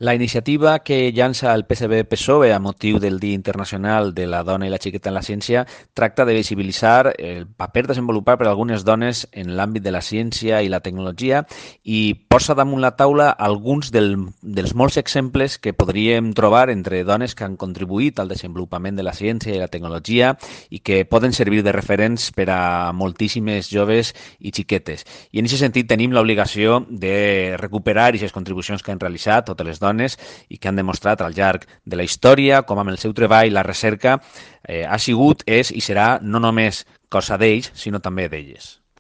La iniciativa que llança el PSB-PSOE a motiu del Dia Internacional de la Dona i la Xiqueta en la Ciència tracta de visibilitzar el paper desenvolupat per algunes dones en l'àmbit de la ciència i la tecnologia i posa damunt la taula alguns dels molts exemples que podríem trobar entre dones que han contribuït al desenvolupament de la ciència i la tecnologia i que poden servir de referents per a moltíssimes joves i xiquetes. I en aquest sentit tenim l'obligació de recuperar aquestes contribucions que han realitzat totes les dones i que han demostrat al llarg de la història com amb el seu treball la recerca ha sigut, és i serà no només cosa d'ells, sinó també d'elles.